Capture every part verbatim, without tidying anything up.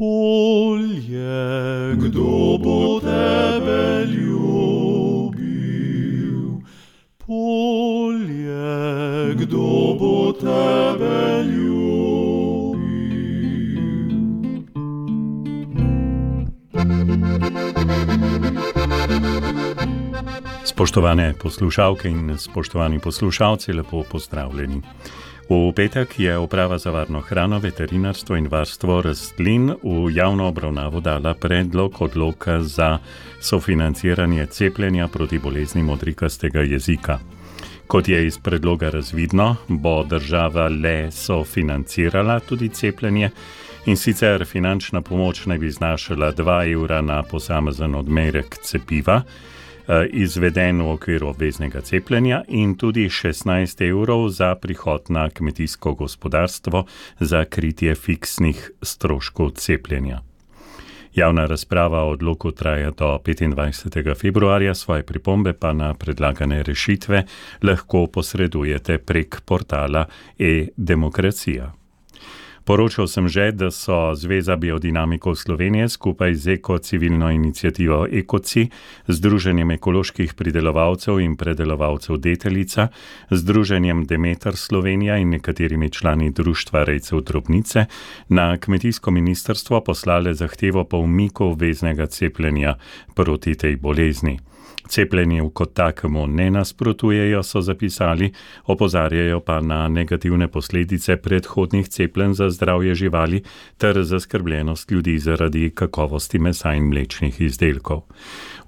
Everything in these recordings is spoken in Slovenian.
Polje, kdo bo tebe ljubil? Polje, kdo bo tebe ljubil? Spoštovane poslušalke in spoštovani poslušalci, lepo pozdravljeni. V petek je Uprava za varno hrano, veterinarstvo in varstvo rastlin v javno obravnavo dala predlog odloka za sofinanciranje cepljenja proti bolezni modrikastega jezika. Kot je iz predloga razvidno, bo država le sofinancirala tudi cepljenje, in sicer finančna pomoč naj bi znašala dva evra na posamezen odmerek cepiva, izveden v okviru obveznega cepljenja, in tudi šestnajst evrov za prihod na kmetijsko gospodarstvo za kritje fiksnih stroškov cepljenja. Javna razprava o odloku traja do petindvajsetega februarja, svoje pripombe pa na predlagane rešitve lahko posredujete prek portala e-demokracija. Poročal sem že, da so Zveza biodinamikov Slovenije skupaj z ekocivilno inicijativo Ekoci, Združenjem ekoloških pridelovalcev in predelovalcev Deteljica, Združenjem Demeter Slovenija in nekaterimi člani društva rejcev drobnice na kmetijsko ministrstvo poslale zahtevo po umiku obveznega cepljenja proti tej bolezni. Cepljenju kot takemu ne nasprotujejo, so zapisali, opozarjajo pa na negativne posledice predhodnih cepljenj za zdravje živali ter zaskrbljenost ljudi zaradi kakovosti mesa in mlečnih izdelkov.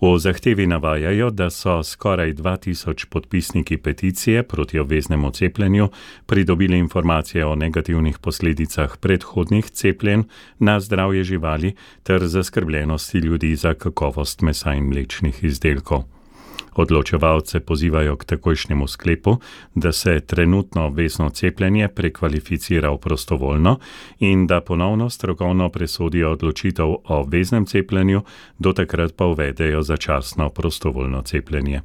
V zahtevi navajajo, da so skoraj dva tisoč podpisniki peticije proti obveznemu cepljenju pridobili informacije o negativnih posledicah predhodnih cepljenj na zdravje živali ter zaskrbljenosti ljudi za kakovost mesa in mlečnih izdelkov. Odločevalce pozivajo k takojšnjemu sklepu, da se trenutno obvezno cepljenje prekvalificira v prostovoljno in da ponovno strokovno presodijo odločitev o obveznem cepljenju, do takrat pa uvedejo začasno prostovoljno cepljenje.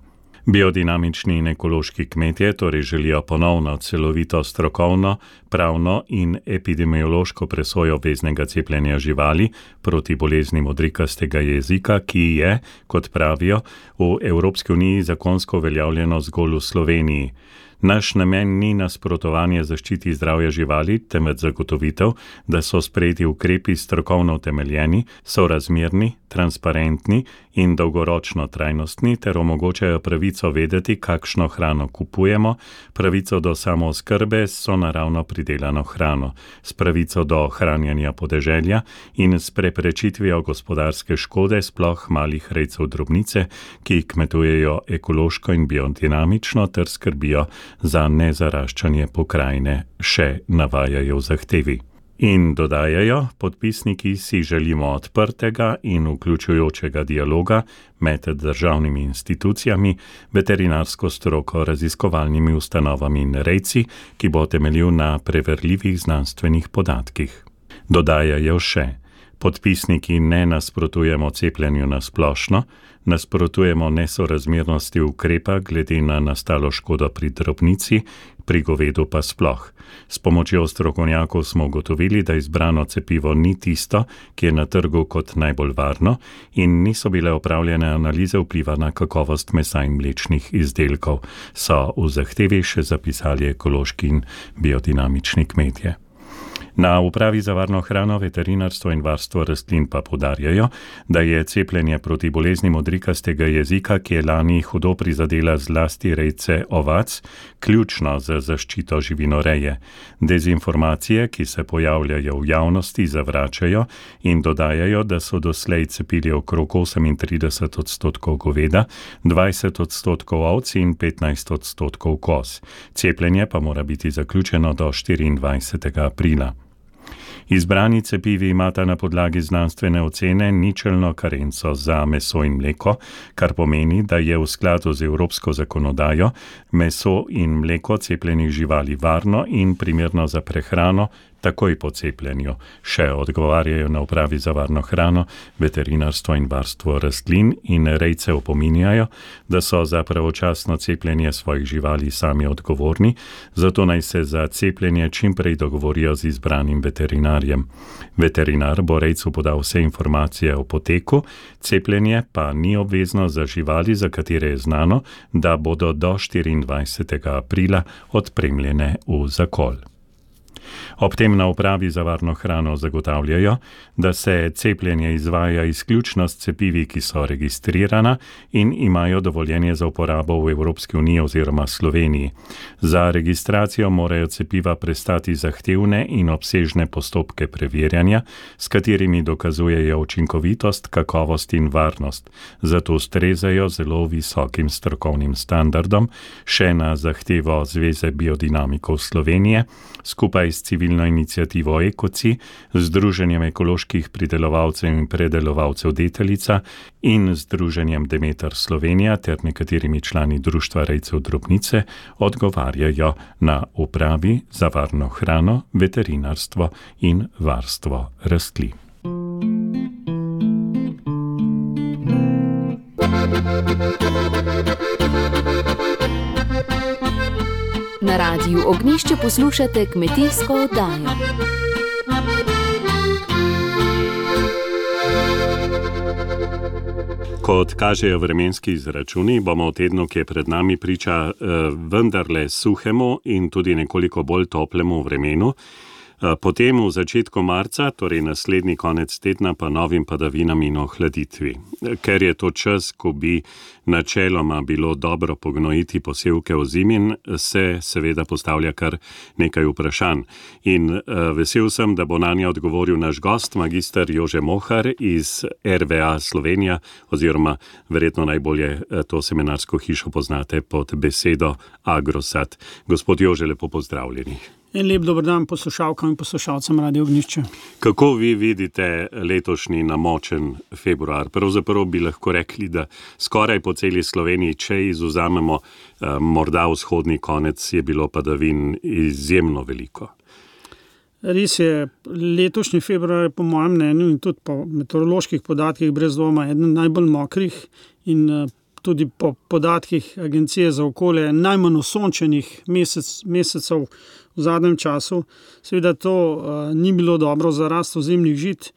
Biodinamični in ekološki kmetje torej želijo ponovno celovito strokovno, pravno in epidemiološko presojo obveznega cepljenja živali proti bolezni modrikastega jezika, ki je, kot pravijo, v Evropski uniji zakonsko uveljavljeno zgolj v Sloveniji. Naš namen ni nasprotovanje zaščiti zdravja živali, temveč zagotovitev, da so sprejeti ukrepi strokovno utemeljeni, sorazmerni, transparentni in dolgoročno trajnostni ter omogočajo pravico vedeti, kakšno hrano kupujemo, pravico do samooskrbe s sonaravno pridelano hrano, s pravico do hranjenja podeželja in s preprečitvijo gospodarske škode sploh malih rejcev drobnice, ki kmetujejo ekološko in biodinamično ter skrbijo za nezaraščanje pokrajine, še navajajo v zahtevi. In dodajajo, podpisniki si želimo odprtega in vključujočega dialoga med državnimi institucijami, veterinarsko stroko, raziskovalnimi ustanovami in rejci, ki bo temeljil na preverljivih znanstvenih podatkih. Dodajajo še, podpisniki ne nasprotujemo cepljenju na splošno, nasprotujemo nesorazmernosti ukrepa glede na nastalo škodo pri drobnici, pri govedu pa sploh. S pomočjo strokovnjakov smo ugotovili, da izbrano cepivo ni tisto, ki je na trgu kot najbolj varno, in niso bile opravljene analize vpliva na kakovost mesa in mlečnih izdelkov, so v zahtevi še zapisali ekološki in biodinamični kmetje. Na Upravi za varno hrano, veterinarstvo in varstvo rastlin pa poudarjajo, da je cepljenje proti bolezni modrikastega jezika, ki je lani hudo prizadela zlasti rejce ovac, ključno za zaščito živinoreje. Dezinformacije, ki se pojavljajo v javnosti, zavračajo in dodajajo, da so doslej cepili okrog osemintrideset odstotkov goveda, dvajset odstotkov ovc in petnajst odstotkov koz. Cepljenje pa mora biti zaključeno do štiriindvajsetega aprila. Izbrani cepivi imata na podlagi znanstvene ocene ničelno karenco za meso in mleko, kar pomeni, da je v skladu z evropsko zakonodajo meso in mleko cepljenih živali varno in primerno za prehrano, takoj po cepljenju. Še odgovarjajo na Upravi za varno hrano, veterinarstvo in varstvo rastlin in rejce opominjajo, da so za pravočasno cepljenje svojih živali sami odgovorni, zato naj se za cepljenje čim prej dogovorijo z izbranim veterinarjem. Veterinar bo rejcu podal vse informacije o poteku, cepljenje pa ni obvezno za živali, za katere je znano, da bodo do štiriindvajsetega aprila odpremljene v zakol. Ob tem na Upravi za varno hrano zagotavljajo, da se cepljenje izvaja izključno s cepivi, ki so registrirana in imajo dovoljenje za uporabo v Evropski uniji oziroma Sloveniji. Za registracijo morajo cepiva prestati zahtevne in obsežne postopke preverjanja, s katerimi dokazujejo učinkovitost, kakovost in varnost. Zato ustrezajo zelo visokim strokovnim standardom, še na zahtevo Zveze biodinamikov Slovenije, skupaj s civilno inicijativo Ekoci, Združenjem ekoloških pridelovalcev in predelovalcev Deteljica in Združenjem Demeter Slovenija ter nekaterimi člani Društva rejcev drobnice odgovarjajo na Upravi za varno hrano, veterinarstvo in varstvo rastlin. Na Radiu Ognjišče poslušate kmetijsko oddajo. Kot kažejo vremenski izračuni, bomo v tednu, ki je pred nami, priča vendarle suhemu in tudi nekoliko bolj toplemu vremenu. Potem v začetku marca, torej naslednji konec tedna, pa novim padavinam in ohladitvi. Ker je to čas, ko bi načeloma bilo dobro pognojiti posevke ozimin, se seveda postavlja kar nekaj vprašanj. In vesel sem, da bo nanje odgovoril naš gost, magister Jože Mohar iz R V A Slovenija, oziroma verjetno najbolje to seminarsko hišo poznate pod besedo Agrosad. Gospod Jože, lepo pozdravljeni. En lep dober dan poslušalkam in poslušalcem Radia Ognjišče. Kako vi vidite letošnji namočen februar? Pravzaprav bi lahko rekli, da skoraj po celi Sloveniji, če izvzamemo eh, morda vzhodni konec, je bilo padavin izjemno veliko. Res je, letošnji februar je po mojem mnenju in tudi po meteoroloških podatkih brez dvoma eden najbolj mokrih in eh, tudi po podatkih Agencije za okolje najmanj osončenih mesec, mesecev v zadnjem času. Seveda to uh, ni bilo dobro za rast ozimnih žit,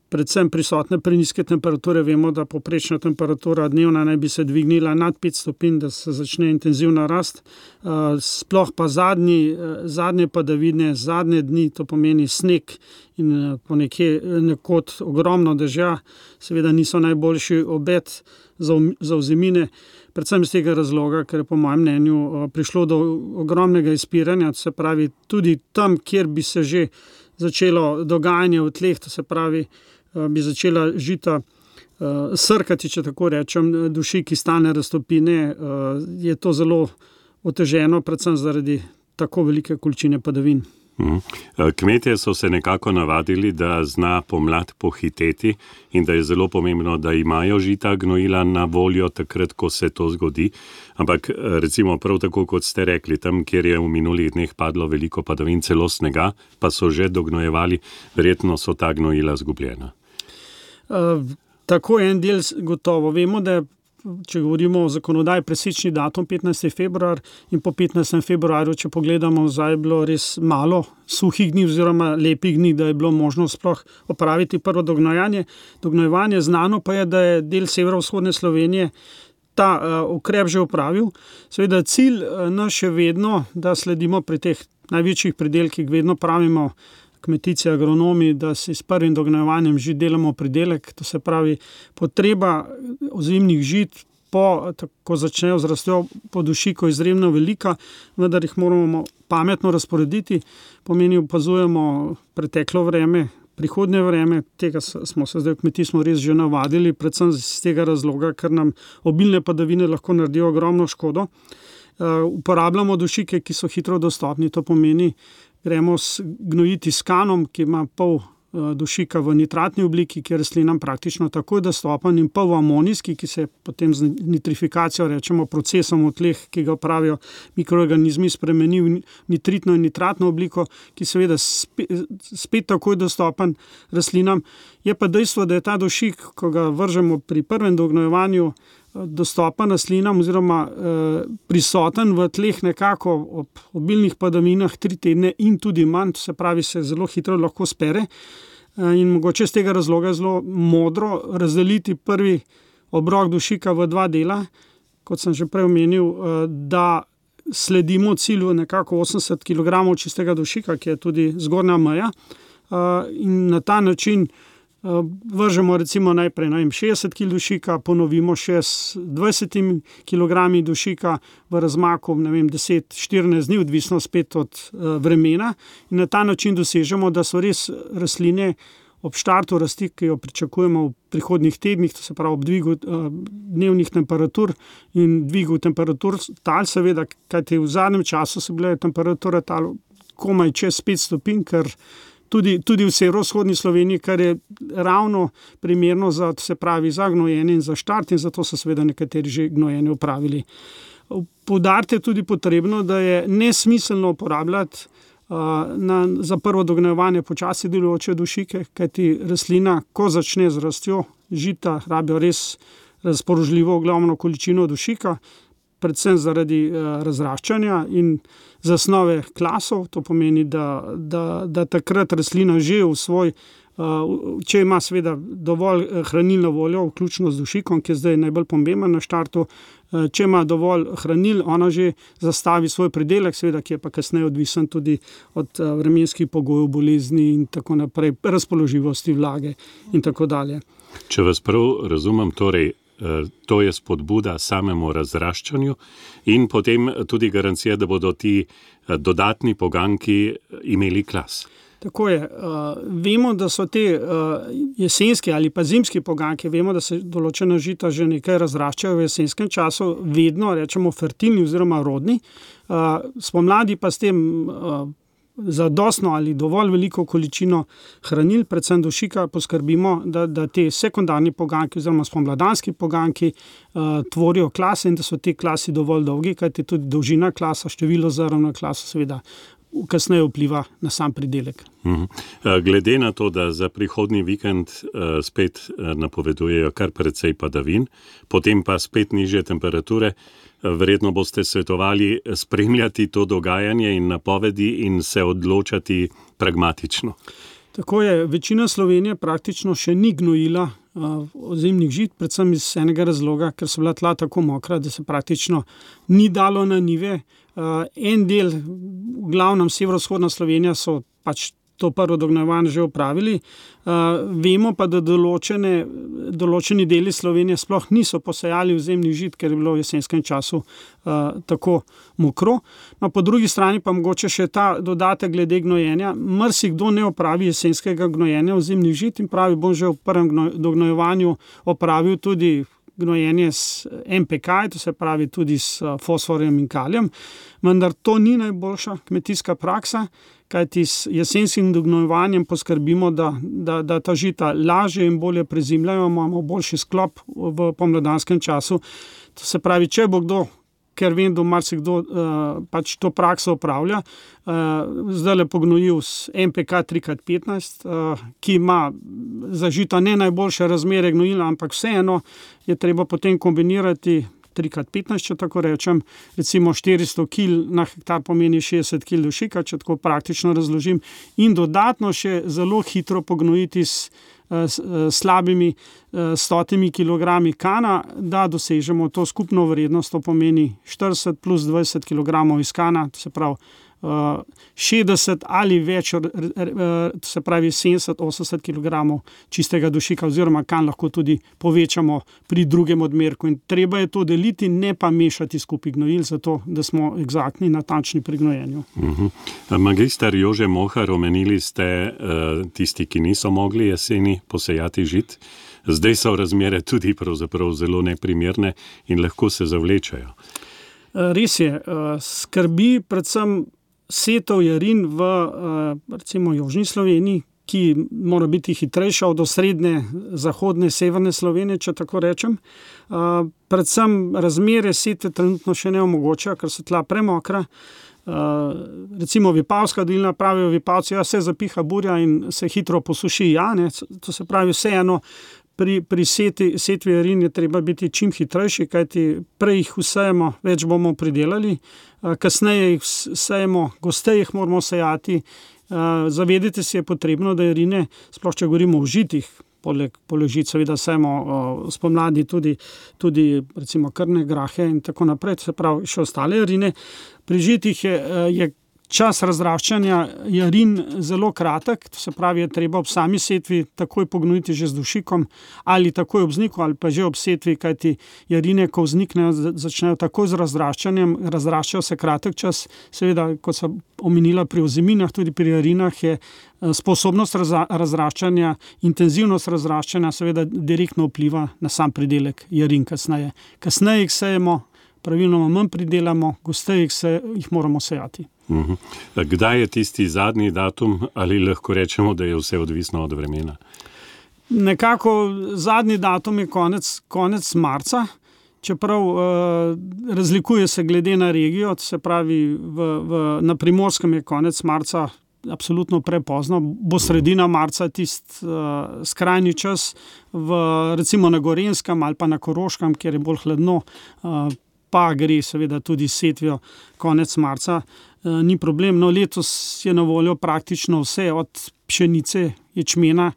predvsem prisotne prenizke temperature. Vemo, da povprečna temperatura dnevna naj bi se dvignila nad pet stopinj, da se začne intenzivna rast. Uh, sploh pa zadnji, uh, zadnje padavine, zadnje dni, to pomeni sneg in uh, ponekje nekod ogromno dežja, seveda niso najboljši obet za, za ozimine. Predvsem iz tega razloga, ker je po mojem mnenju prišlo do ogromnega izpiranja, to se pravi tudi tam, kjer bi se že začelo dogajanje v tleh, to se pravi, bi začela žita srkati, če tako rečem, dušiki stane raztopine, je to zelo oteženo, predvsem zaradi tako velike količine padavin. Kmetje so se nekako navadili, da zna pomlad pohiteti in da je zelo pomembno, da imajo žita gnojila na voljo takrat, ko se to zgodi. Ampak recimo prav tako, kot ste rekli, tam, kjer je v minulih dneh padlo veliko padavin, celo snega, pa so že dognojevali, verjetno so ta gnojila zgubljena. Uh, tako je en del gotovo. Vemo, da če govorimo o zakonodaji, presečni datum petnajsti februar in po petnajstem februarju, če pogledamo, zdaj je bilo res malo suhih dni oziroma lepih dni, da je bilo možno sploh opraviti prvo dognojanje. Dognojevanje znano pa je, da je del severovzhodne Slovenije ta uh, ukrep že opravil. Seveda cilj uh, naš je vedno, da sledimo pri teh največjih pridelkih, vedno pravimo kmetici, agronomi, da si s prvim dognojevanjem žit delamo pridelek, to se pravi potreba ozimnih žit, po, ko začnejo z rastjo po dušiku izjemno velika, vendar jih moramo pametno razporediti, pomeni opazujemo preteklo vreme, prihodnje vreme, tega smo se zdaj v kmetijstvu res že navadili, predvsem z tega razloga, ker nam obilne padavine lahko naredijo ogromno škodo. Uh, uporabljamo dušike, ki so hitro dostopni, to pomeni, gremo gnojiti s kanom, ki ima pol dušika v nitratni obliki, ki je rastlinam praktično takoj dostopen, in pa v amonijski, ki se potem z nitrifikacijo, rečemo procesom v tleh, ki ga pravijo mikroorganizmi, spremeni v nitritno in nitratno obliko, ki seveda spet, spet takoj dostopen rastlinam. Je pa dejstvo, da je ta dušik, ko ga vržemo pri prvem dognojevanju, dostopen rastlinam oziroma eh, prisoten v tleh nekako ob obilnih padavinah tri tedne in tudi manj, to se pravi, se zelo hitro lahko spere eh, in mogoče z tega razloga zelo modro razdeliti prvi obrok dušika v dva dela, kot sem že prej omenil, eh, da sledimo cilju nekako osemdeset kilogramov čistega dušika, ki je tudi zgornja meja, eh, in na ta način vržemo recimo najprej ne vem, šestdeset kilogramov dušika, ponovimo še s dvajsetimi kilogrami dušika v razmaku ne vem, deset do štirinajst dni, odvisno spet od uh, vremena, in na ta način dosežemo, da so res rastline ob štartu rasti, ki jo pričakujemo v prihodnjih tednih, to se pravi ob dvigu uh, dnevnih temperatur in dvigu temperatur tal, seveda, kajti v zadnjem času so bile temperature tal komaj čez pet stopinj, ker Tudi, tudi v severovzhodni Sloveniji, kar je ravno primerno za, se pravi, za gnojenje in za štart, in zato so seveda nekateri že gnojenje upravili. Poudariti je tudi potrebno, da je nesmiselno uporabljati uh, na, za prvo dognojevanje počasi delujoče dušike, kajti rastlina, ko začne z rastjo, žita rabijo res razpoložljivo ogromno količino dušika, predvsem zaradi uh, razraščanja in zasnove klasov, to pomeni, da, da, da takrat rastlina že v svoj, uh, če ima seveda dovolj hranilno voljo, vključno z dušikom, ki je zdaj najbolj pomemben na štartu, uh, če ima dovolj hranil, ona že zastavi svoj pridelek, seveda, ki je pa kasneje odvisen tudi od uh, vremenskih pogojev, bolezni in tako naprej, razpoložljivosti vlage in tako dalje. Če vas prav razumem, torej, to je spodbuda samemu razraščanju in potem tudi garancija, da bodo ti dodatni poganki imeli klas. Tako je. Uh, vemo, da so te uh, jesenske ali pa zimski poganki, vemo, da se določena žita že nekaj razraščajo v jesenskem času, vedno rečemo fertilni oziroma rodni. Uh, spomladi pa s tem uh, zadostno ali dovolj veliko količino hranil, predvsem dušika, poskrbimo, da, da te sekundarni poganki oziroma spomladanski poganki uh, tvorijo klase in da so te klasi dovolj dolgi, kajti tudi dolžina klasa, število zrn na klasu seveda kasneje vpliva na sam pridelek. Glede na to, da za prihodnji vikend uh, spet uh, napovedujejo kar precej padavin, potem pa spet nižje temperature, verjetno boste svetovali spremljati to dogajanje in napovedi in se odločati pragmatično. Tako je, večina Slovenije praktično še ni gnojila uh, ozimnih žit, predvsem iz enega razloga, ker so bila tla tako mokra, da se praktično ni dalo na njive. Uh, en del, v glavnem severovzhodna Slovenija, so pač to prvo dognojevanje že opravili. Uh, vemo pa, da določene, določeni deli Slovenije sploh niso posejali ozimnih žit, ker je bilo v jesenskem času uh, tako mokro. No, po drugi strani pa mogoče še ta dodatek glede gnojenja. Marsikdo ne opravi jesenskega gnojenja ozimnih žit in pravi, bom že v prvem dognojevanju opravil tudi gnojenje s en pe ka, to se pravi tudi s fosforjem in kalijem, vendar to ni najboljša kmetijska praksa, kajti s jesenskim dognojevanjem poskrbimo, da, da, da ta žita lažje in bolje prezimljajo, imamo boljši sklop v pomladanskem času. To se pravi, če bo kdo, ker vem, da marsikdo uh, pač to prakso opravlja, uh, zdaj le pognojil s en pe ka tri krat petnajst, uh, ki ima za žita ne najboljše razmere gnojila, ampak vseeno je treba potem kombinirati tri krat petnajst, če tako rečem, recimo štiristo kilogramov na hektar pomeni šestdeset kilogramov dušika, če tako praktično razložim, in dodatno še zelo hitro pognojiti s S, s slabimi stotimi kilogrami kana, da dosežemo to skupno vrednost, to pomeni štirideset plus dvajset kilogramov iz kana, to se pravi šestdeset ali več, to se pravi sedemdeset do osemdeset kilogramov čistega dušika, oziroma kan lahko tudi povečamo pri drugem odmerku. In treba je to deliti, ne pa mešati skupaj gnojil, zato da smo egzaktni, natančni pri gnojenju. Uh-huh. Magister Jože Mohar, omenili ste uh, tisti, ki niso mogli jeseni posejati žit. Zdaj so razmere tudi pravzaprav zelo neprimerne in lahko se zavlečajo. Res je, skrbi predvsem setov jarin v recimo južni Sloveniji, ki mora biti hitrejša od osrednje, zahodne, severne Slovenije, če tako rečem. Uh, predvsem razmere setve trenutno še ne omogočajo, ker so tla premokra. Uh, recimo Vipavska dolina, pravijo Vipavci, ja, se zapiha burja in se hitro posuši, ja, ne, to se pravi vseeno, pri, pri seti, setvi jarin je treba biti čim hitrejši, kajti prej jih vsejemo, več bomo pridelali, uh, kasneje jih sejemo, gosteje jih moramo sejati. Uh, zavedite se je potrebno, da jarine, sploh če govorimo o žitih, poleg položit seveda sejemo uh, spomladi tudi, tudi recimo krne, grahe in tako naprej, se pravi še ostale jarine. Pri žitih je, je čas razraščanja jarin zelo kratek, to se pravi, je treba ob sami setvi takoj pognojiti že z dušikom ali takoj ob vzniku ali pa že ob setvi, kajti jarine, ko vzniknejo, začnejo takoj z razraščanjem, razraščajo se kratek čas, seveda, kot sem omenila pri ozeminah, tudi pri jarinah je sposobnost razraščanja, intenzivnost razraščanja seveda direktno vpliva na sam pridelek jarin kasneje. Kasneje jih sejemo, pravilno manj pridelamo, gosteje se jih moramo sejati. Uh-huh. Kdaj je tisti zadnji datum, ali lahko rečemo, da je vse odvisno od vremena? Nekako zadnji datum je konec, konec marca, čeprav eh, razlikuje se glede na regijo, se pravi v, v, na Primorskem je konec marca absolutno prepozno, bo sredina marca tist uh, skrajni čas, v, recimo na Gorenjskem ali pa na Koroškem, kjer je bolj hladno, uh, pa gre seveda tudi setvijo konec marca, e, ni problem. No, letos je na voljo praktično vse, od pšenice, ječmena.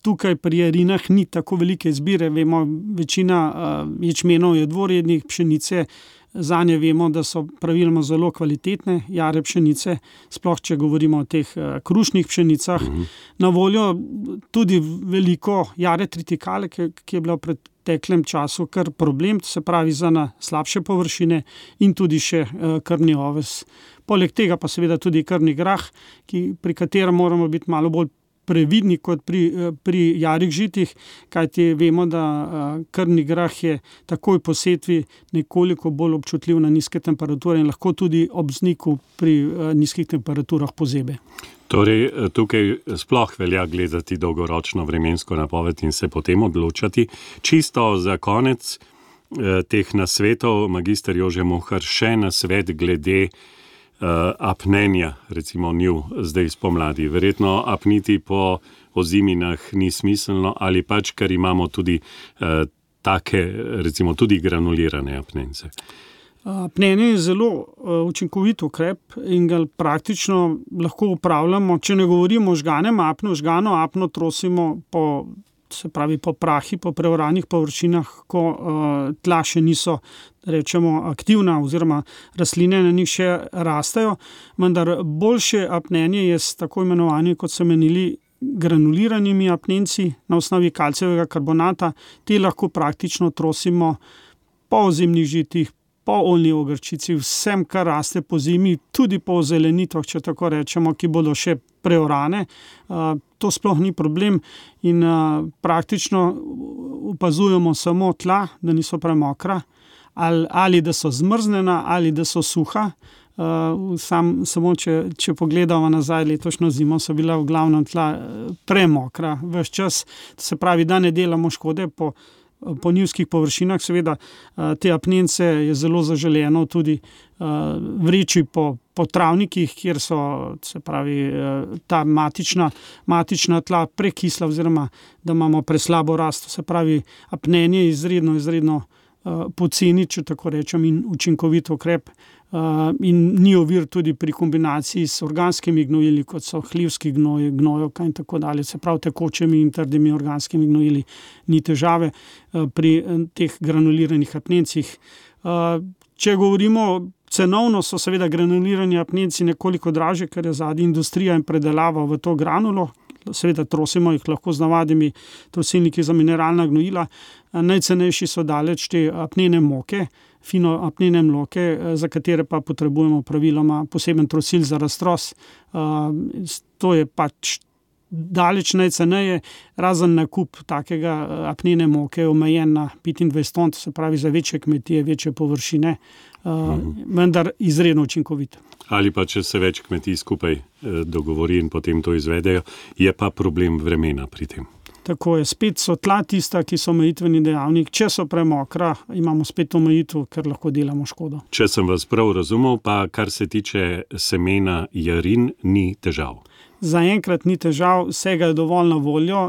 Tukaj pri jarinah ni tako velike izbire, vemo, večina uh, ječmenov je dvorednih, pšenice, zanje vemo, da so praviloma zelo kvalitetne jare pšenice, sploh če govorimo o teh uh, krušnih pšenicah. Mhm. Na voljo tudi veliko jare tritikale, ki, ki je bila pred teklem času kar problem, to se pravi za na slabše površine in tudi še uh, krmni oves. Poleg tega pa seveda tudi krmni grah, ki, pri katerem moramo biti malo bolj previdni kot pri, pri jarih žitih, kajti vemo, da uh, krmni grah je takoj po setvi nekoliko bolj občutljiv na nizke temperature in lahko tudi ob vzniku pri uh, nizkih temperaturah pozebe. Torej, tukaj sploh velja gledati dolgoročno vremensko napoved in se potem odločati. Čisto za konec eh, teh nasvetov, magister Jože Mohar, še nasvet glede eh, apnenja, recimo njiv zdaj spomladi. Verjetno apniti po oziminah ni smiselno ali pač, ker imamo tudi eh, take, recimo tudi granulirane apnence. Apnenje je zelo uh, učinkovit ukrep in ga praktično lahko upravljamo, če ne govorimo o žganem apnu, žgano apno trosimo po, se pravi po prahi, po preoranih površinah, ko uh, tla še niso, rečemo, aktivna oziroma rastline na njih še rastejo, vendar boljše apnenje je s tako imenovanimi, kot so menili, granuliranimi apnenci na osnovi kalcijevega karbonata. Te lahko praktično trosimo po ozimnih žitih, po oljni ogrčici, vsem, kar raste po zimi, tudi po zelenitah, če tako rečemo, ki bodo še preorane. Uh, to sploh ni problem in uh, praktično opazujemo samo tla, da niso premokra, ali, ali da so zmrznjena, ali da so suha. Uh, sam, samo če, če pogledamo nazaj, letošnjo zimo so bila v glavnem tla premokra ves čas, to se pravi, da ne delamo škode po po njivskih površinah, seveda te apnence je zelo zaželeno tudi vreči po, po travnikih, kjer so, se pravi, ta matična, matična tla prekisla oziroma da imamo preslabo rast, se pravi, apnenje je izredno, izredno poceni, če tako rečem, in učinkovit ukrep. Uh, in ni ovir tudi pri kombinaciji s organskimi gnojili, kot so hlivski gnoj, gnojevka in tako dalje, se pravi tekočimi in trdimi organskimi gnojili, ni težave uh, pri uh, teh granuliranih apnencih. Uh, če govorimo cenovno, so seveda granulirani apnenci nekoliko dražje, ker je zadnja industrija in predelava v to granulo, seveda trosimo jih lahko z navadnimi trosilniki za mineralna gnojila. Uh, najcenejši so daleč te apnene moke, fino apnene mloke, za katere pa potrebujemo praviloma poseben trosil za raztros. Uh, to je pač daleč najceneje, razen nakup takega apnene moke omejen na petindvajset ton, to se pravi za večje kmetije, večje površine. mhm. vendar izredno učinkovit. Ali pa, če se več kmetij skupaj dogovori in potem to izvedejo, je pa problem vremena pri tem. Tako je, spet so tla tista, ki so omejitveni dejavnik. Če so premokra, imamo spet omejitev, ker lahko delamo škodo. Če sem vas prav razumel, pa kar se tiče semena jarin, ni težav. Zaenkrat ni težav, vsega je dovolj na voljo.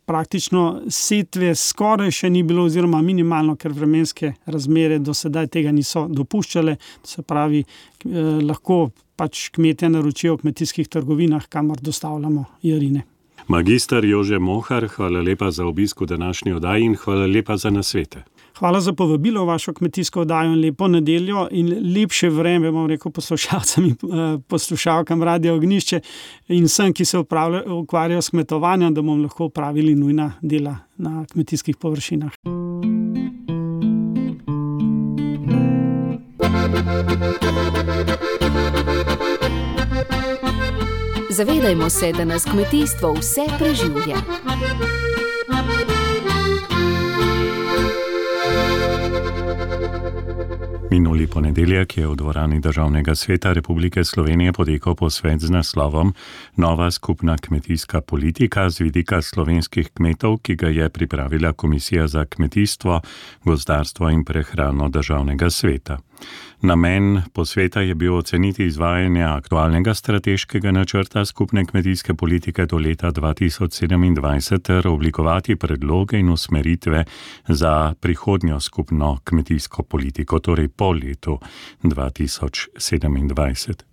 Praktično setve skoraj še ni bilo oziroma minimalno, ker vremenske razmere do sedaj tega niso dopuščale. Se pravi, eh, lahko pač kmetje naročijo v kmetijskih trgovinah, kamor dostavljamo jarine. Magister Jože Mohar, hvala lepa za obisk v današnji oddaji in hvala lepa za nasvete. Hvala za povabilo v vašo kmetijsko oddajo in lepo nedeljo in lepše vreme, bom rekel, poslušalcem in poslušalkam Radia Ognjišče in vsem, ki se ukvarjajo s kmetovanjem, da bomo lahko opravili nujna dela na kmetijskih površinah. Zavedajmo se, da nas kmetijstvo vse preživlja. Minuli ponedeljek je v dvorani Državnega sveta Republike Slovenije potekal posvet z naslovom Nova skupna kmetijska politika z vidika slovenskih kmetov, ki ga je pripravila Komisija za kmetijstvo, gozdarstvo in prehrano Državnega sveta. Namen posveta je bil oceniti izvajanje aktualnega strateškega načrta skupne kmetijske politike do leta dva tisoč sedemindvajset ter oblikovati predloge in usmeritve za prihodnjo skupno kmetijsko politiko, torej po letu dva tisoč sedemindvajset.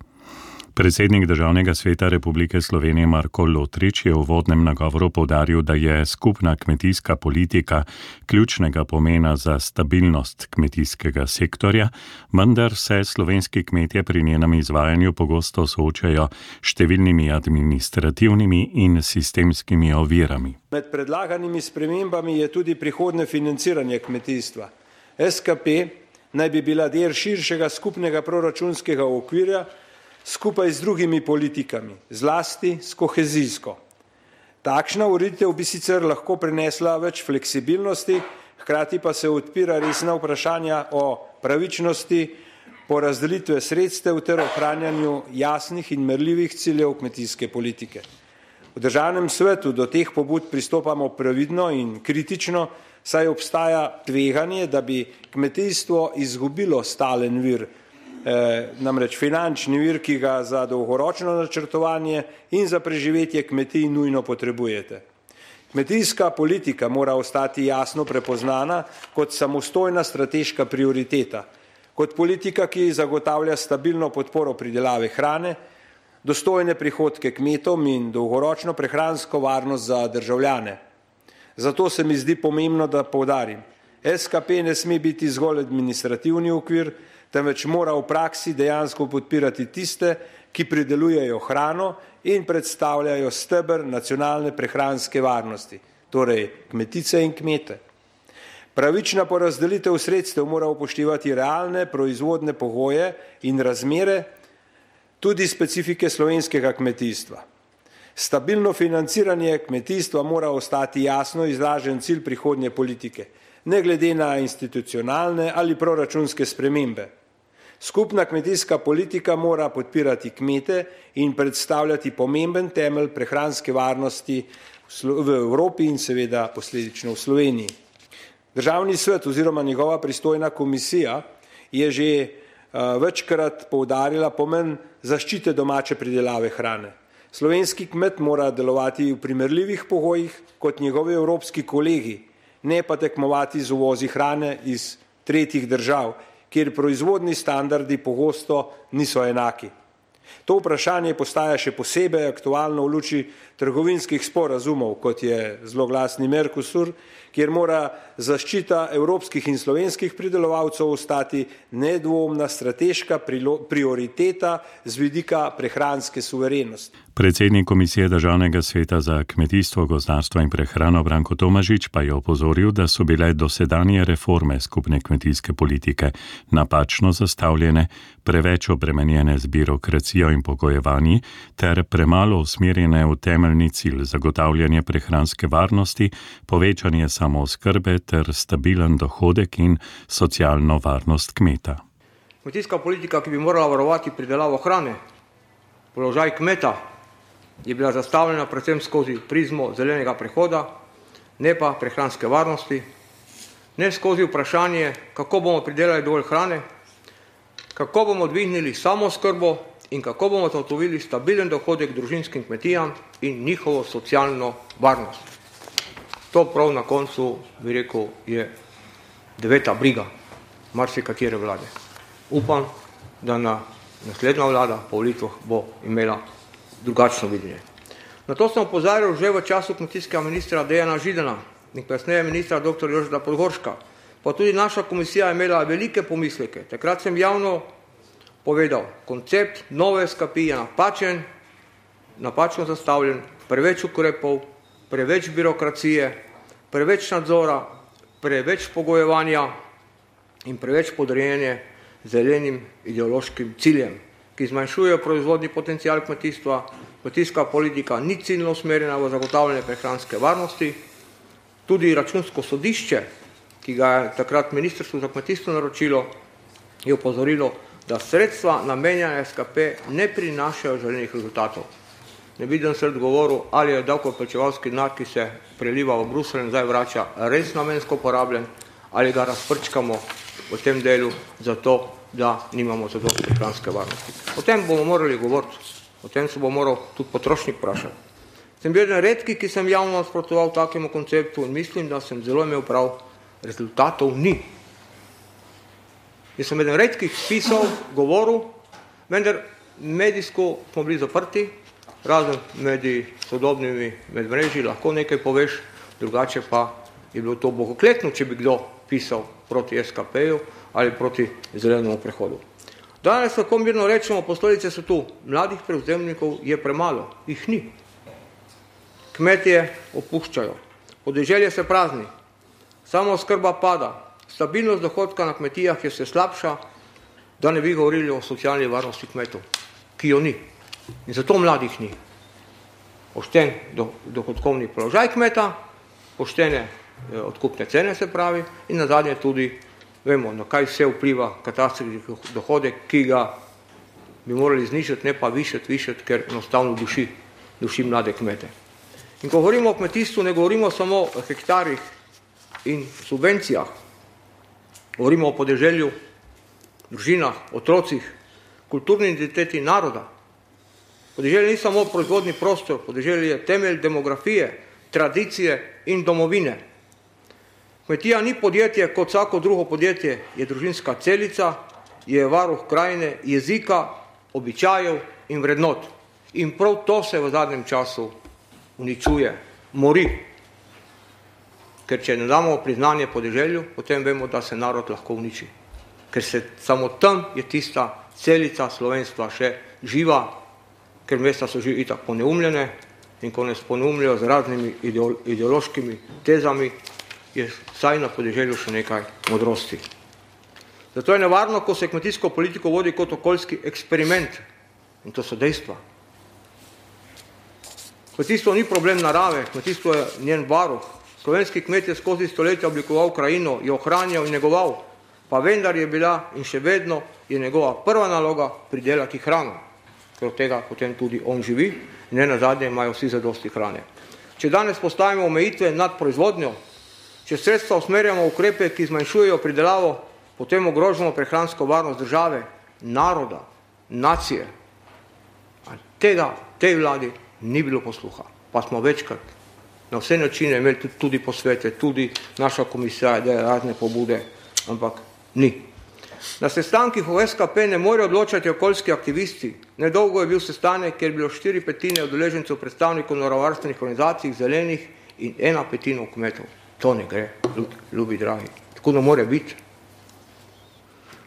Predsednik Državnega sveta Republike Slovenije Marko Lotrič je v uvodnem nagovoru poudaril, da je skupna kmetijska politika ključnega pomena za stabilnost kmetijskega sektorja, vendar se slovenski kmetje pri njenem izvajanju pogosto soočajo številnimi administrativnimi in sistemskimi ovirami. Med predlaganimi spremembami je tudi prihodnje financiranje kmetijstva. S K P naj bi bila del širšega skupnega proračunskega okvirja skupaj z drugimi politikami, zlasti s kohezijsko. Takšna ureditev bi sicer lahko prinesla več fleksibilnosti, hkrati pa se odpira resna vprašanja o pravičnosti porazdelitve sredstev ter ohranjanju jasnih in merljivih ciljev kmetijske politike. V Državnem svetu do teh pobud pristopamo previdno in kritično, saj obstaja tveganje, da bi kmetijstvo izgubilo stalen vir, Eh, namreč finančni vir, ki ga za dolgoročno načrtovanje in za preživetje kmetij nujno potrebujete. Kmetijska politika mora ostati jasno prepoznana kot samostojna strateška prioriteta, kot politika, ki zagotavlja stabilno podporo pridelave hrane, dostojne prihodke kmetom in dolgoročno prehransko varnost za državljane. Zato se mi zdi pomembno, da poudarim, S K P ne sme biti zgolj administrativni okvir, temveč mora v praksi dejansko podpirati tiste, ki pridelujejo hrano in predstavljajo steber nacionalne prehranske varnosti, torej kmetice in kmete. Pravična porazdelitev sredstev mora upoštevati realne proizvodne pogoje in razmere, tudi specifike slovenskega kmetijstva. Stabilno financiranje kmetijstva mora ostati jasno izražen cilj prihodnje politike, ne glede na institucionalne ali proračunske spremembe. Skupna kmetijska politika mora podpirati kmete in predstavljati pomemben temelj prehranske varnosti v Evropi in seveda posledično v Sloveniji. Državni svet oziroma njegova pristojna komisija je že uh, večkrat poudarila pomen zaščite domače pridelave hrane. Slovenski kmet mora delovati v primerljivih pogojih kot njegovi evropski kolegi, ne pa tekmovati z uvozi hrane iz tretjih držav, kjer proizvodni standardi pogosto niso enaki. To vprašanje postaja še posebej aktualno v luči trgovinskih sporazumov, kot je zloglasni Mercosur, kjer mora zaščita evropskih in slovenskih pridelovalcev ostati nedvomna strateška prioriteta z vidika prehranske suverenosti. Predsednik Komisije Državnega sveta za kmetijstvo, gozdarstvo in prehrano Branko Tomažič pa je opozoril, da so bile dosedanje reforme skupne kmetijske politike napačno zastavljene, preveč obremenjene z birokracijo in pogojevanji ter premalo usmerjene v temeljni cilj zagotavljanje prehranske varnosti, povečanje samooskrbe ter stabilen dohodek in socialno varnost kmeta. Kmetijska politika, ki bi morala varovati pridelavo hrane, položaj kmeta, je bila zastavljena predvsem skozi prizmo zelenega prehoda, ne pa prehranske varnosti, ne skozi vprašanje, kako bomo pridelali dovolj hrane, kako bomo dvignili samooskrbo in kako bomo zagotovili stabilen dohodek družinskim kmetijam in njihovo socialno varnost. To prav na koncu, bi rekel, je deveta briga marsikatere vlade. Upam, da na naslednja vlada po volitvah bo imela drugačno videnje. Na to sem opozarjal že v času kmetijskega ministra Dejana Židana in kasneje ministra doktor Jožeta Podgorška, pa tudi naša komisija je imela velike pomisleke. Takrat sem javno povedal, koncept nove S K P je napačen, napačno zastavljen, preveč ukrepov, preveč birokracije, preveč nadzora, preveč pogojevanja in preveč podrejenje zelenim ideološkim ciljem, ki zmanjšujejo proizvodni potencial kmetijstva. Kmetijska politika ni ciljno usmerjena v zagotavljanje prehranske varnosti. Tudi Računsko sodišče, ki ga je takrat Ministrstvo za kmetijstvo naročilo, je opozorilo, da sredstva namenjene S K P ne prinašajo želenih rezultatov. Ne vidim se odgovoru, ali je davkoplačevalski denar, ki se preliva v Bruselj in zdaj vrača, res namensko porabljen, ali ga razprčkamo v tem delu zato, da nimamo zadosti prehranske varnosti. O tem bomo morali govoriti, o tem se bo moral tudi potrošnik vprašati. Sem bil eden redki, ki sem javno nasprotoval takemu konceptu in mislim, da sem zelo imel prav, rezultatov ni. Jaz sem eden redkih pisal, govoril, vendar medijsko smo bili zaprti, razen med sodobnimi medmrežji lahko nekaj poveš, drugače pa je bilo to bogokletno, če bi kdo pisal proti S K P-ju ali proti zelenemu prehodu. Danes lahko mirno rečemo, posledice so tu, mladih prevzemnikov je premalo, jih ni. Kmetje opuščajo, podeželje se prazni, samooskrba pada, stabilnost dohodka na kmetijah je vse slabša, da ne bi govorili o socialni varnosti kmetov, ki jo ni. In zato mladih ni. Pošten dohodkovni položaj kmeta, poštene odkupne cene se pravi in nazadnje tudi vemo, na kaj vse vpliva katastrski dohodek, ki ga bi morali znižati, ne pa višati, višati, ker enostavno duši, duši mlade kmete. In ko govorimo o kmetijstvu, ne govorimo samo o hektarjih in subvencijah, govorimo o podeželju, družinah, otrocih, kulturni identiteti naroda. Podeželje ni samo proizvodni prostor, podeželje je temelj demografije, tradicije in domovine. Kmetija ni podjetje kot vsako drugo podjetje, je družinska celica, je varuh krajine, jezika, običajev in vrednot. In prav to se v zadnjem času uničuje, mori. Ker če ne damo priznanje podeželju, potem vemo, da se narod lahko uniči. Ker se samo tam je tista celica slovenstva še živa, ker mesta so že itak poneumljene in ko nas poneumljajo z raznimi ideološkimi tezami, je vsaj na podeželju še nekaj modrosti. Zato je nevarno, ko se kmetijsko politiko vodi kot okoljski eksperiment. In to so dejstva. Kmetijstvo ni problem narave, kmetijstvo je njen varuh. Slovenski kmet je skozi stoletja oblikoval krajino, jo ohranjal in negoval, pa vendar je bila in še vedno je njegova prva naloga pridelati hrano, ker od tega potem tudi on živi in ne nazadnje imajo vsi zadosti hrane. Če danes postavimo omejitve nad proizvodnjo, če sredstva usmerjamo ukrepe, ki zmanjšujejo pridelavo, potem ogrožamo prehransko varnost države, naroda, nacije. A tega tej vladi ni bilo posluha, pa smo večkrat na vse načine imeli tudi posvete, tudi naša komisija daje razne pobude, ampak ni. Na sestankih v S K P ne morejo odločati okoljski aktivisti. Nedolgo je bil sestanek, kjer je bilo štiri petine udeležencev predstavnikov naravovarstvenih organizacij, zelenih in ena petina kmetov. To ne gre, ljubi dragi. Tako ne more biti.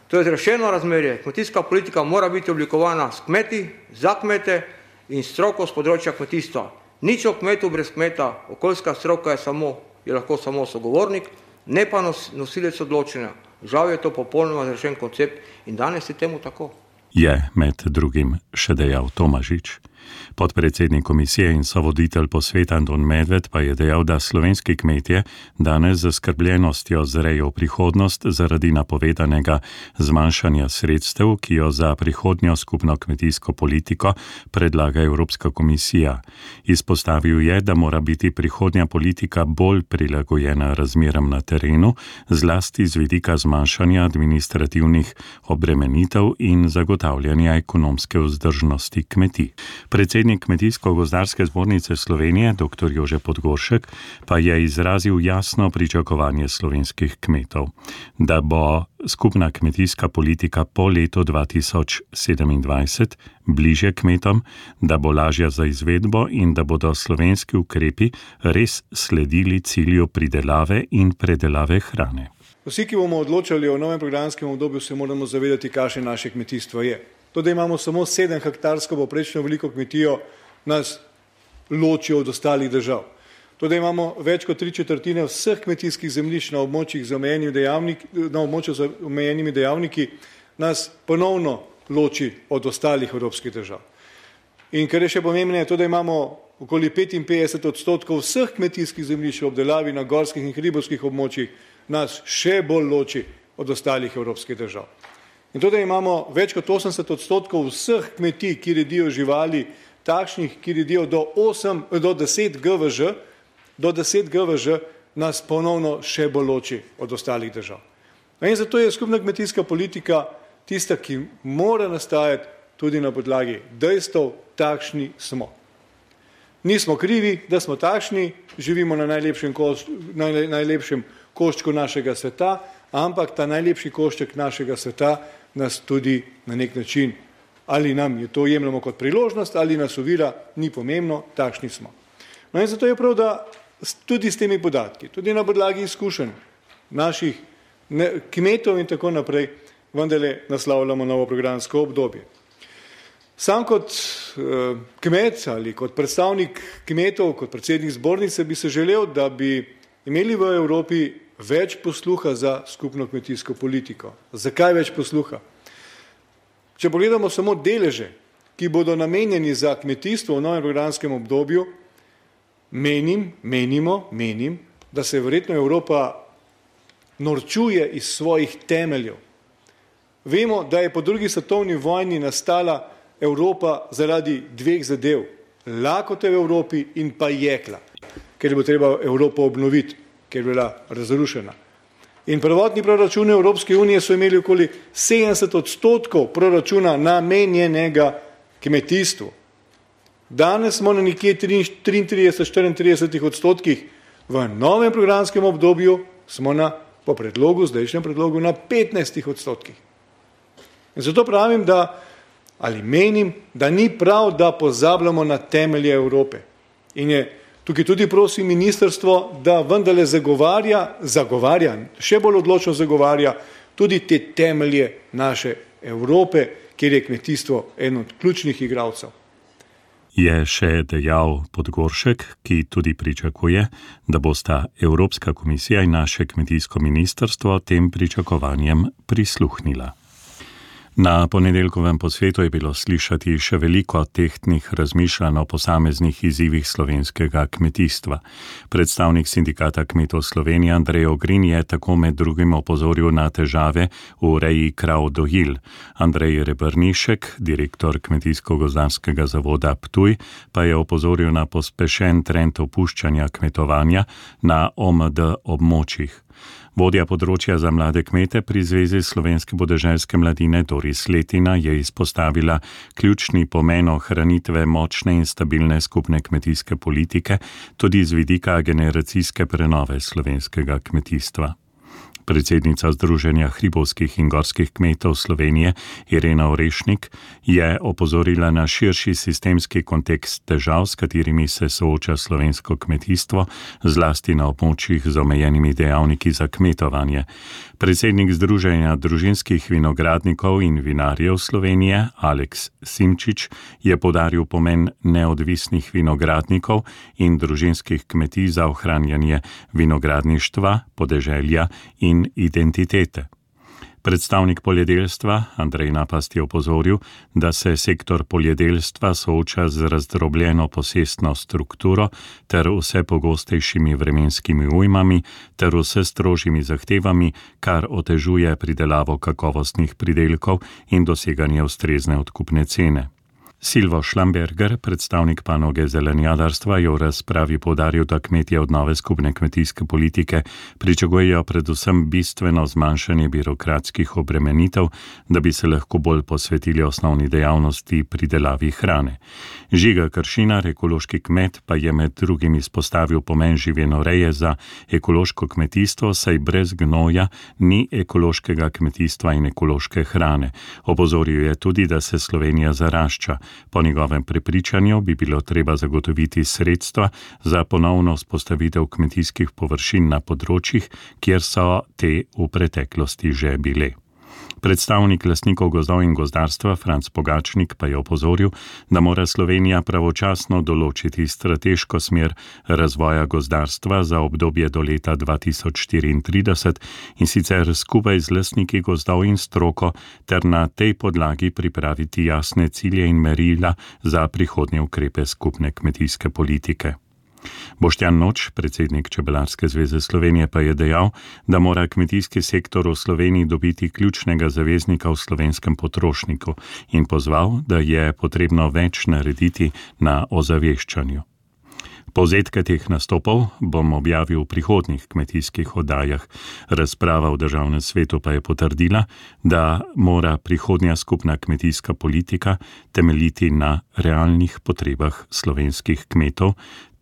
To je zrešeno razmerje. Kmetijska politika mora biti oblikovana s kmeti, za kmete in stroko z področja kmetijstva. Nič o kmetu brez kmeta, okoljska stroka je, samo, je lahko samo sogovornik, ne pa nos, nosilec odločenja. Žal je to popolnoma zrešen koncept in danes je temu tako. Je med drugim še dejal Tomažič. Podpredsednik komisije in sovoditelj posveta Anton Medved pa je dejal, da slovenski kmetje danes z zaskrbljenostjo zrejo v prihodnost zaradi napovedanega zmanjšanja sredstev, ki jo za prihodnjo skupno kmetijsko politiko predlaga Evropska komisija. Izpostavil je, da mora biti prihodnja politika bolj prilagojena razmeram na terenu, zlasti z vidika zmanjšanja administrativnih obremenitev in zagotavljanja ekonomske vzdržnosti kmetij. Predsednik Kmetijsko-gozdarske zbornice Slovenije, dr. Jože Podgoršek, pa je izrazil jasno pričakovanje slovenskih kmetov, da bo skupna kmetijska politika po letu dva tisoč sedemindvajset bliže kmetom, da bo lažja za izvedbo in da bodo slovenski ukrepi res sledili cilju pridelave in predelave hrane. Vsi, ki bomo odločali o novem programskem obdobju, se moramo zavedati, kakšno naše kmetijstvo je. To, da imamo samo sedem hektarsko poprečno veliko kmetijo, nas loči od ostalih držav. To, da imamo več kot tri četrtine vseh kmetijskih zemljišč na območjih z omejenimi dejavniki, na območju z omejenimi dejavniki, nas ponovno loči od ostalih evropskih držav. In kar je še pomembneje, to, da imamo okoli petinpetdeset odstotkov vseh kmetijskih zemljišč v obdelavi na gorskih in hribovskih območjih, nas še bolj loči od ostalih evropskih držav. In to, da imamo več kot osemdeset odstotkov vseh kmetij, ki redijo živali, takšnih, ki redijo do, osem, do deset G V Ž, do deset G V Ž, nas ponovno še bolj loči od ostalih držav. In zato je skupna kmetijska politika tista, ki mora nastajati tudi na podlagi dejstev, takšni smo. Nismo krivi, da smo takšni, živimo na najlepšem, koš, naj, najlepšem koščku našega sveta, ampak ta najlepši košček našega sveta nas tudi na nek način, ali nam je to jemljamo kot priložnost, ali nas ovira, ni pomembno, takšni smo. No in zato je prav, da tudi s temi podatki, tudi na podlagi izkušenj naših ne, kmetov in tako naprej, vendarle naslavljamo novo programsko obdobje. Sam kot eh, kmet ali kot predstavnik kmetov, kot predsednik zbornice bi se želel, da bi imeli v Evropi več posluha za skupno kmetijsko politiko. Zakaj več posluha? Če pogledamo samo deleže, ki bodo namenjeni za kmetijstvo v novem programskem obdobju, menim, menimo, menim, da se verjetno Evropa norčuje iz svojih temeljev. Vemo, da je po drugi svetovni vojni nastala Evropa zaradi dveh zadev, lakote v Evropi in pa jekla, ker bo treba Evropo obnoviti, ker je bila razrušena. In prvotni proračuni Evropske unije so imeli okoli sedemdeset odstotkov proračuna namenjenega kmetijstvu. Danes smo na nekje triintrideset do štiriintrideset odstotkih, v novem programskem obdobju smo na, po predlogu, zdajšnjem predlogu, na petnajstih odstotkih. In zato pravim, da, ali menim, da ni prav, da pozabljamo na temelje Evrope. In je tukaj tudi prosim ministrstvo, da vendarle zagovarja, zagovarja, še bolj odločno zagovarja tudi te temelje naše Evrope, kjer je kmetijstvo eno od ključnih igralcev. Je še dejal Podgoršek, ki tudi pričakuje, da bosta Evropska komisija in naše kmetijsko ministrstvo tem pričakovanjem prisluhnila. Na ponedeljkovem posvetu je bilo slišati še veliko tehtnih razmišljanj o posameznih izzivih slovenskega kmetijstva. Predstavnik sindikata kmetov Slovenije Andrej Ogrin je tako med drugim opozoril na težave v reji krav dojil. Andrej Rebrnišek, direktor Kmetijsko-gozdarskega zavoda Ptuj, pa je opozoril na pospešen trend opuščanja kmetovanja na O M D območjih. Vodja področja za mlade kmete pri Zvezi slovenske podeželske mladine Doris Letina je izpostavila ključni pomen ohranitve močne in stabilne skupne kmetijske politike tudi z vidika generacijske prenove slovenskega kmetijstva. Predsednica Združenja hribovskih in gorskih kmetov Slovenije Irena Orešnik je opozorila na širši sistemski kontekst težav, s katerimi se sooča slovensko kmetijstvo, zlasti na območjih z omejenimi dejavniki za kmetovanje. Predsednik Združenja družinskih vinogradnikov in vinarjev Slovenije Aleks Simčič je poudaril pomen neodvisnih vinogradnikov in družinskih kmetij za ohranjanje vinogradništva, podeželja in identitete. Predstavnik poljedelstva Andrej Napast je opozoril, da se sektor poljedelstva sooča z razdrobljeno posestno strukturo ter vse pogostejšimi vremenskimi ujmami ter vse strožjimi zahtevami, kar otežuje pridelavo kakovostnih pridelkov in doseganje ustrezne odkupne cene. Silvo Šlamberger, predstavnik panoge zelenjadarstva, je v razpravi poudaril, da kmetje od nove skupne kmetijske politike pričakujejo predvsem bistveno zmanjšanje birokratskih obremenitev, da bi se lahko bolj posvetili osnovni dejavnosti pridelavi hrane. Žiga Kršinar, ekološki kmet, pa je med drugim izpostavil pomen živinoreje za ekološko kmetijstvo, saj brez gnoja ni ekološkega kmetijstva in ekološke hrane. Opozoril je tudi, da se Slovenija zarašča. Po njegovem prepričanju bi bilo treba zagotoviti sredstva za ponovno vzpostavitev kmetijskih površin na področjih, kjer so te v preteklosti že bile. Predstavnik lastnikov gozdov in gozdarstva Franc Pogačnik pa je opozoril, da mora Slovenija pravočasno določiti strateško smer razvoja gozdarstva za obdobje do leta dva tisoč štiriintrideset in sicer skupaj z lastniki gozdov in stroko ter na tej podlagi pripraviti jasne cilje in merila za prihodnje ukrepe skupne kmetijske politike. Boštjan Noč, predsednik Čebelarske zveze Slovenije, pa je dejal, da mora kmetijski sektor v Sloveniji dobiti ključnega zaveznika v slovenskem potrošniku in pozval, da je potrebno več narediti na ozaveščanju. Povzetke teh nastopov bom objavil v prihodnjih kmetijskih oddajah. Razprava v Državnem svetu pa je potrdila, da mora prihodnja skupna kmetijska politika temeljiti na realnih potrebah slovenskih kmetov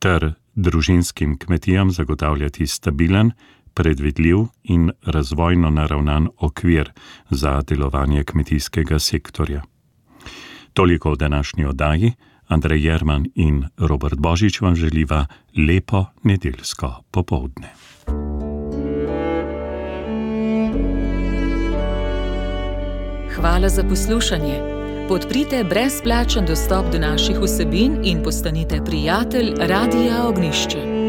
ter družinskim kmetijam zagotavljati stabilen, predvidljiv in razvojno naravnan okvir za delovanje kmetijskega sektorja. Toliko v današnji oddaji. Andrej Jerman in Robert Božič vam želiva lepo nedeljsko popoldne. Hvala za poslušanje. Podprite brezplačen dostop do naših vsebin in postanite prijatelj Radia Ognjišče.